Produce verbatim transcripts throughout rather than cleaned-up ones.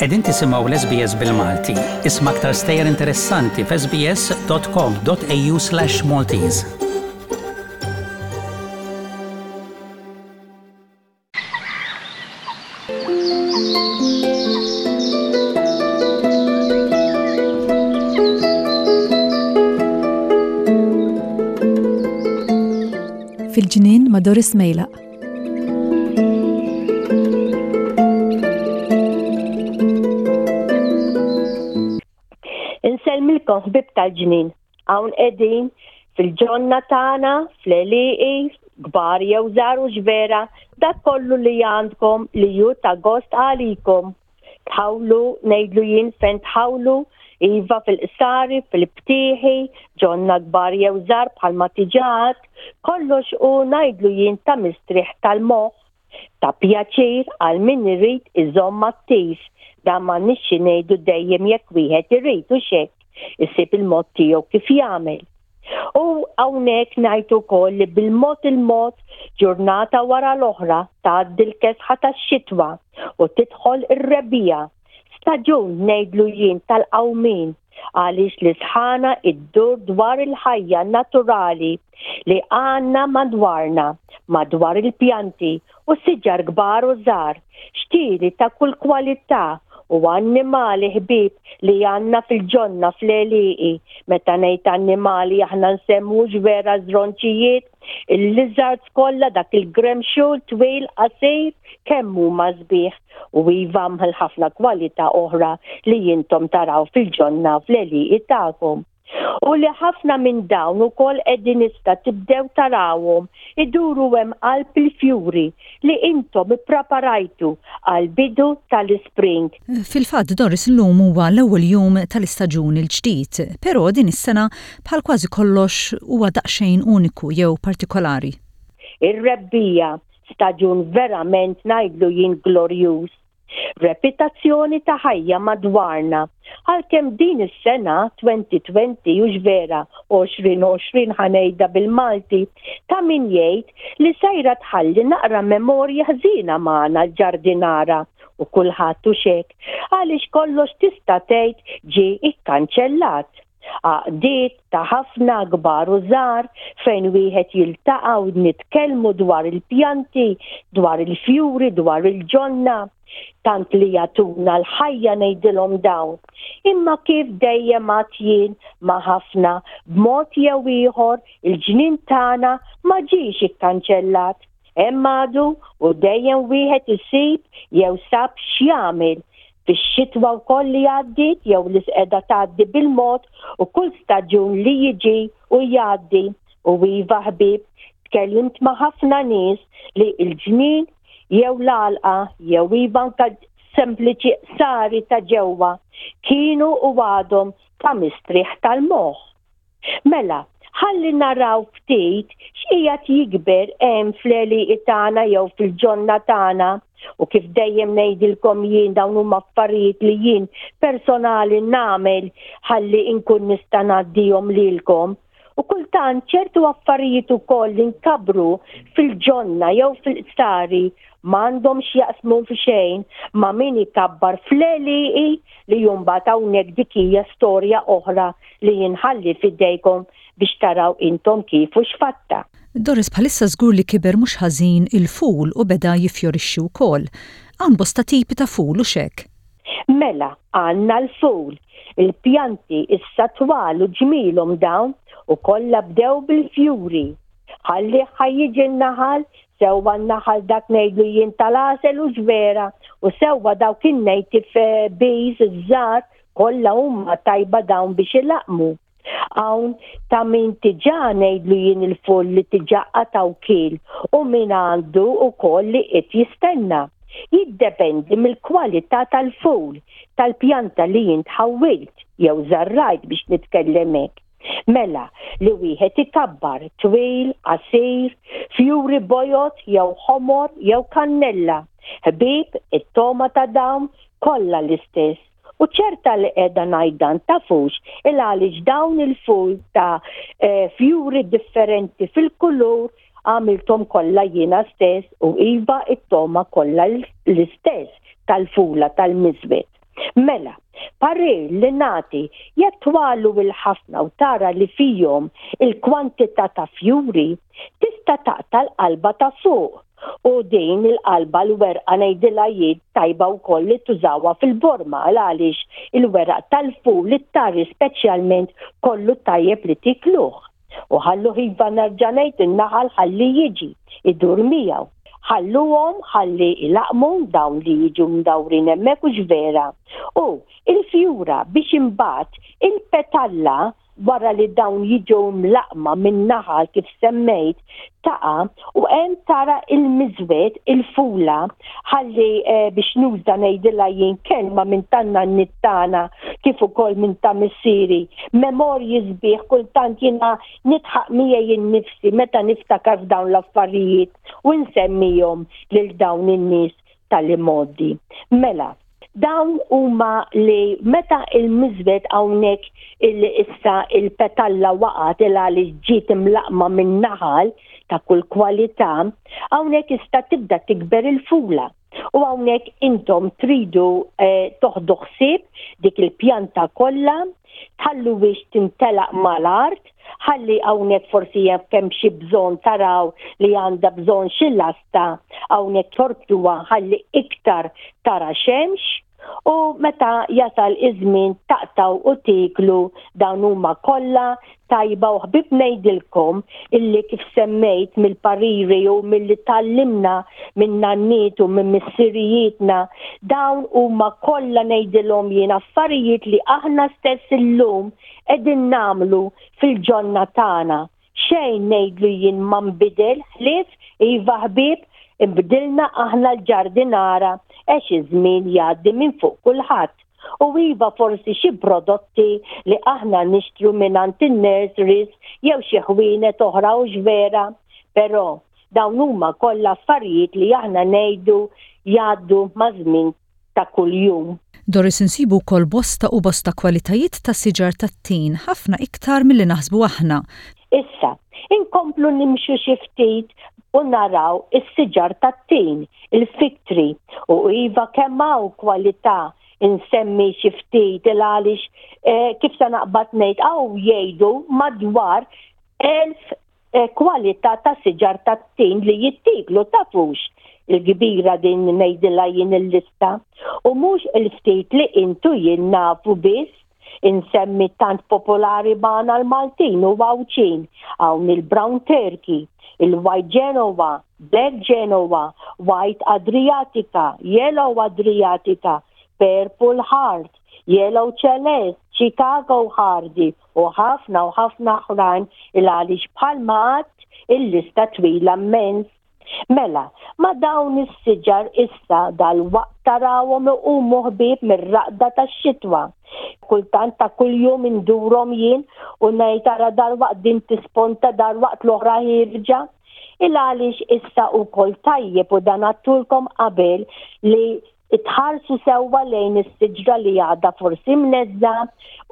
Qegħdin tisimgħu l-S B S bil-Malti. Isma' aktar stejjer interessanti f'S B S dot com dot A U slash Maltese. Fil-Ġnien ma' Doris Mejlaq. Insellmilkom, ħbieb tal-ġnien. Hawn qegħdin fil-ġonna tagħna, fl-għelieqi, kbar jew żgħar u vera, dak kollu li għandkom li ju ta' gost għalikom. Tħawlu, ngħidlu jien fejn tħawlu, iva fil-qsari, fil-btieħi, ġonna kbar jew żgħar bħalma tiġat, kollox u ngħidlu jien ta' mistrieħ tal-moħħ, ta' pjaċir għal min irid iżomm attiv. Dan ma nixxi ngħidu dejjem jekk wieħed irid u xek, isib il-mod tiegħu kif jagħmel. U hawnhekk ngħid ukoll li bil-mod il-mod, ġurnata wara l-oħra, tgħaddi l-kesħa tax-xitwa u tidħol ir-rebbiegħa. Staġun, ngħidlu jien, tal-qawmin, għaliex li sħana iddur dwar il-ħajja naturali li għandna madwarna, madwar il-pjanti u siġar kbar u żgħar, xtieli ta' kull kwalità u annimali ħbieb li għandna fil-ġonna, fl-għelieqi. Meta ngħid annimali, aħna nsemmu vera żronċijiet, il-lizards kollha, dak il-gremxul twil, qasir, kemm huma sbieħ, u iva ħafna kwalità oħra li jintom taraw fil-ġonna, fl-għelieqi tagħkom. U li ħafna minn dawn ukoll qegħdin issa tibdew tarawhom iduru hemm qalb il-fjuri li intom ippreparajtu għal bidu tal-spring. Fil-fatt, Doris, illum huwa l-ewwel jum tal-istaġun il-ġdid, però din is-sena bħal kważi kollox huwa daqsxejn uniku jew partikolari. Ir-rebbiegħa, staġun verament, ngħidlu jien, glorjuż. Reputazzjoni ta' ħajja madwarna. Għalkemm din is-sena elfejn u għoxrin, u vera elfejn u għoxrin ħa ngħidha bil-Malti, ta' min jgħid li sejra tħalli naqra memorja ħżina magħna l-ġardinara u kulħadd u xek, għaliex kollox tista' tgħid ġie ikkanċellat. Għaqdiet ta' ħafna kbar u żgħar fejn wieħed jiltaqa' u nitkellmu dwar il-pjanti, dwar il-fjuri, dwar il-ġonna, tant li jagħtuna l-ħajja, ngħidilhom dawn. Imma kif dejjem għedt jien ma' ħafna, b'mod jew ieħor il-ġnien tagħna ma ġiex ikkanċellat. Hemm għadu u dejjem wieħed isib jew sab x'jagħmel fix-xitwa wkoll li għaddiet jew li qiegħda tgħaddi bil-mod u kull staġun li jiġi u jgħaddi. U iva ħbieb, tkellimt ma' ħafna nies li l-ġnien jew l-għalqa jew iva anka sempliċi qsari ta' ġewwa kienu u għadhom ta' mistrieħ tal-moħħ. Mela, ħalli naraw ftit x'qiegħed jikber hemm fl-għelieqi tagħna jew fil-ġonna tagħna, u kif dejjem ngħidilkom jien, dawn huma affarijiet li jien personali nagħmel ħalli inkun nista' ngħaddihom lilkom. U kultant ċertu affarijiet ukoll li nkabru fil-ġonna jew fil-qsari m'għandhom x'jaqsmu fi xejn ma' min ikabbar fl-għelieqi, li mbagħad hawnhekk dik hija storja oħra li jinħalli fidejkom biex taraw intom kif u x'fatta. Doris, bħalissa żgur li kiber mhux ħażin il-ful u beda jifjorixxi wkoll. Hawn bosta tipi ta' ful u xek. Mela, għandna l-ful, il-pjanti issa twal u ġmilhom dawn u kollha bdew bil-fjuri. Ħalli ħa jiġi n-naħal, sewwa n-naħal dak, ngħidlu jien, tal-għasel u ġvera, u sewwa dawk in-native bees iż-żgħar, kollha huma tajba dawn biex ilaqmu. Hawn ta' min diġà, ngħidlu jien, il-ful li diġà qataw kil u min għandu ukoll li qed jistenna. Jiddependi mill-kwalità tal-ful, tal-pjanta li jint ħawwilt jew żarrajt, biex nitkellem hekk. Mela, li wieħed ikabbar twil, qasir, fjuri bojod jew ħomor jew kannella. Ħbieb, it-toma ta' dawn kollha l-istess. U ċerta li qiegħda ngħid dan tafux il għaliex dawn il-ful ta' eh, fjuri differenti fil-kulur għamiltom kollha jiena stess, u iva, it-toma kollha l-istess tal-fula tal-miżwed. Mela, parir li nagħti, jekk twalu il-ħafna u tara li fihom il-kwantità ta' fjuri, tista' taqta' l-qalba ta' fuq u din il-qalba, l-werqa ngħidilha jien, tajba wkoll li tużawha fil-borma, għaliex il-weraq tal-ful it-tari speċjalment kollu tajjeb li tikluh. U ħallu, iva, nerġa' ngħid, in-naħal ħalli jiġi idur miegħu. Ħalluhom ħalli ilaqmu dawn li jiġu mdawrin hemmhekk, u vera. U il-fjura biex imbagħad il-petalla, wara li dawn jiġu mlaqma minn naħal kif semmejt, taqa' u hemm tara il-miżwed, il-fula, ħalli eh, biex nuża, ngħidilha jien, kelma minn tan-nanniet tagħna kif ukoll minn ta' missieri. Memorji sbieħ, kultant jiena nidħaq miegħi innifsi meta niftakar f'dawn l-affarijiet u nsemmihom lil dawn in-nies tal-imgħoddi. Mela, dawn huma li meta il-miżwed hawnhekk il-issa il-petalla waqgħet il għaliex ġiet imlaqma minn naħal ta' kull kwalità, hawnhekk issa tibda tikber il-fula. U hawnhekk intom tridu eh, toħdu ħsieb dik il-pjanta kollha, tħallu biex tintelaq mal-art, ħalli hawnhekk forsi jekk hemm xi bżonn, taraw li għandha bżonn xi lasta, hawnhekk torbtuha ħalli iktar tara xemx, u meta jasal iż-żmien taqtaw u tiklu, dawn huma kollha tajba. U ħbib, ngħidilkom illi kif semmejt mill-pariri u milli tgħallimna minn nanniet u minn missirijietna, dawn huma kollha, ngħidilhom jien, affarijiet li aħna stess illum qegħdin nagħmlu fil-ġonna tagħna. Xejn, ngħidlu jien, ma nbidel ħlief, iva ħbieb, imbdilna aħna l-ġardinara għax iż-żmien jgħaddi minn fuq kulħadd. U iva, forsi xi prodotti li aħna nixtru minn in-nurseries jew xi ħwienet oħra, u vera, però dawn huma kollha affarijiet li aħna ngħidu jgħaddu ma' żmien ta' kuljum. Doris, insibu wkoll bosta u bosta kwalitajiet ta' siġar tat-tin, ħafna iktar milli naħsbu aħna. Issa, inkomplu nimxu xi ftit u naraw is-siġar tat-tin, il-fig tree, u iva, kemm hawn kwalità, insemmi xi ftit il għaliex eh, kif se naqbad ngħid, hawn jgħidu madwar elf eh, kwalità ta' siġar tat-tin li jittiklu, tafux il-kbira din, ngħidilha jien, il-lista. U mhux il-ftit li intu jien nafu biss, insemmi tant popolari magħna l-Maltin u Għawdxin. Hawn il-Brown Turkey, il-White Genoa, Black Genoa, White Adriatica, Yellow Adriatica, Purple Heart, Yellow Celeste, Chicago Hardy u ħafna u ħafna oħrajn, il għaliex bħalma għedt il-lista twila immens. Mela, ma dawn is-siġar issa dal-waqt tarawhom iqumu, ħbieb, mir-raqda tax-xitwa. Kultant ta' kuljum indurhom jien u ngħid, "Ara, dal-waqt din tisponta, dal-waqt l-oħra ħierġa." Il għaliex issa wkoll tajjeb, u dan għedtulkom qabel, li tħarsu sewwa lejn is-siġra li għadha forsi mneżża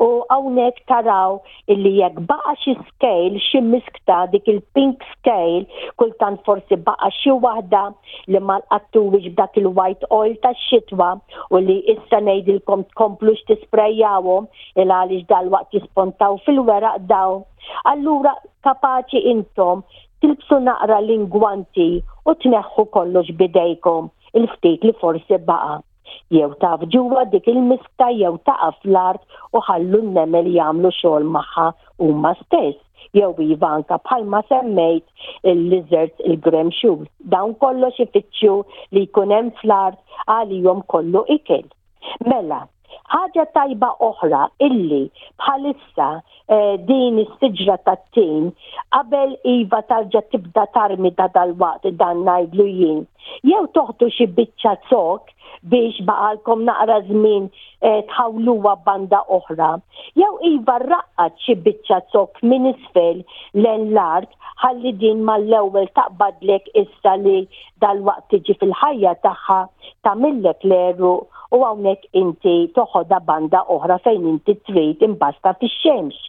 u hawnhekk taraw illi jekk baqa' xi scale, xi miskta, dik il-pink scale, kultant forsi baqa' xi waħda li ma lqattuwix b'dak il-white oil tax-xitwa, u li issa ngħidilkom tkomplux tisprejjawhom il għaliex dal-waqt jispontaw fil-weraq daw. Allura kapaċi intom tilbsu naqra l-ingwanti u tneħħu kollox bidejkom il-ftit li forsi baqa. Jew taf ġewwa dik il-miska jew taqa' fl-art u ħallu n-nemel jagħmlu xogħol magħha huma stess. Jew iva, anka bħalma semmejt il-lizards, il-gremxul. Dawn kollox ifittxu li jkun hemm fl-art, għalihom kollu ikel. Mela, ħaġa tajba oħra illi bħalissa eh, din is-siġra tat-tin, qabel, iva, tarġa tibda tarmi ta' dal-waqt, dan ngħidlu jien. Jew toħdu xi biċċa zokk biex baqalkom naqra żmien eh, tħawluha banda oħra. Jew iva, raqqad xi biċċa zokk minn isfel lejn l-art ħalli din mal-ewwel taqbadlek, issa li dal-waqt tiġi fil-ħajja tagħha, tagħmillek l-għeruq u hawnhekk inti toħodha banda oħra fejn inti trid imbasta fix-xemx.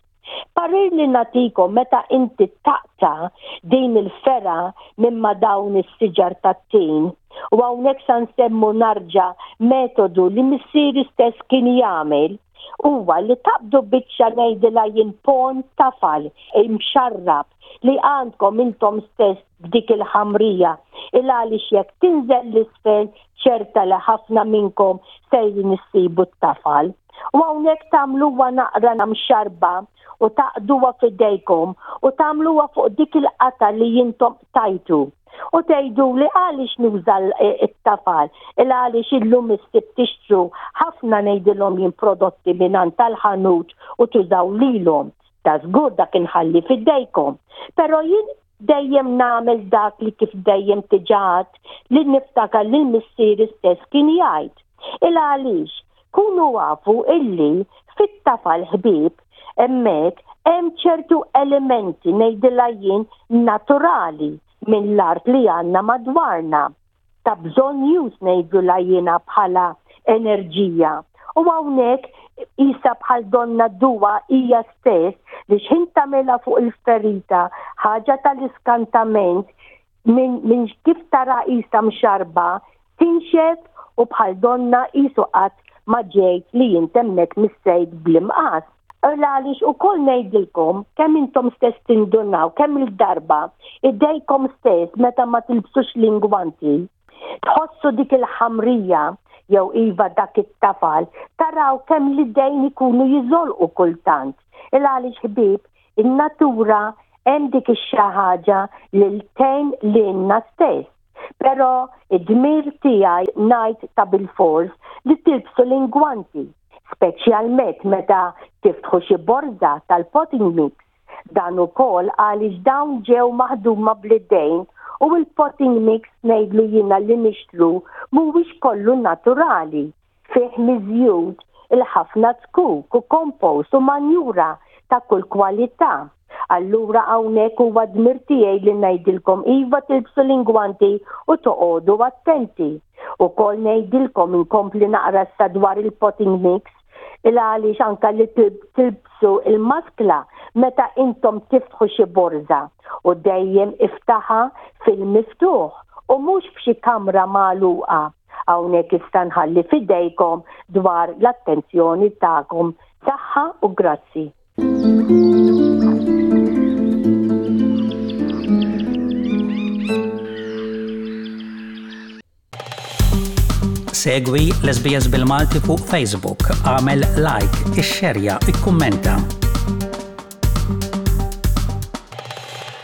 Parir li nagħtikom meta inti taqta' din il-fergħa minn ma' dawn is-siġar tat-tin. U hawnhekk sa nsemmu narġa' metodu li missieri stess kien jagħmel huwa li taqbdu biċċa ngħidilha jien ponn tafal imxarrab li għandkom intom stess f'dik il-ħamrija il għaliex jekk tinżel l-isfel ċerta li ħafna minnkom sejrin issibu t-tafal. U hawnhekk tagħmluha naqra mxarba u taqduha f'idejkom u tagħmluha fuq dik il-qata li intom tajtu. U tgħidu li għaliex nuża t-tafal, il għaliex illum issib tixtru ħafna ngħidilhom jien prodotti mingħand tal-ħanut u tużaw lilhom. Ta' żgur dak inħalli f'idejkom. Però jien dejjem nagħmel dak li kif dejjem diġà li niftakar li l-missieri stess kien jgħid. Il għaliex kunu għafu illi fit-tafal ħbieb hemmhekk hemm ċertu elementi ngħidilha jien naturali minn l-art li għandna madwarna. Ta' bżonn ngħidulha jiena bħala enerġija. U hawnhekk isa bħal donna duwa hija stess li xħin tagħmilha fuq il-ferita ħaġa tal-iskantament minn min kif tara isa mxarba tinxef u bħal donna isu qatt ma ġejt li jintemmek missejt bl-imqas. Għaliex ukoll ngħidilkom kemm intom stess tindunaw, kemm il-darba idejkom stess meta ma tilbsux l-ingwanti, tħossu dik il-ħamrija jew iva dak it-tafal, taraw kemm l-idejn ikunu jiżolqu kultant. Il għaliex ħbieb, in-natura hemm dik ix-xi ħaġa li tgħin lilna stess. Però id-dmir tiegħi ngħid ta' bilfors li tilbsu l-ingwanti, speċjalment meta tiftħu xi borża tal-potting mix. Dan ukoll għaliex dawn ġew maħduma bl-idejn u l-potting mix ngħidlu jiena li nixtru mhuwiex kollu naturali. Fih miżjud il-ħafna zkuk u kompost u manjura ta' kull kwalità. Allura hawnhekk huwa dmir tiegħi li ngħidilkom iva tilbsu l-ingwanti u toqogħdu attenti. Ukoll ngħidilkom inkompli naqra sa dwar il-potting mix il għaliex anka li tilbsu il-maskla meta intom tiftħu xi borża u dejjem iftaħa fil-miftuħ u mhux f'xi kamra magħluqa. Hawnhekk issa nħalli f'idejkom dwar l-attenzjoni tagħkom. Saħħa u grazzi. Segwi l-SBS bil-Malti fuq Facebook, għamel like, ixxerja, ikkummenta.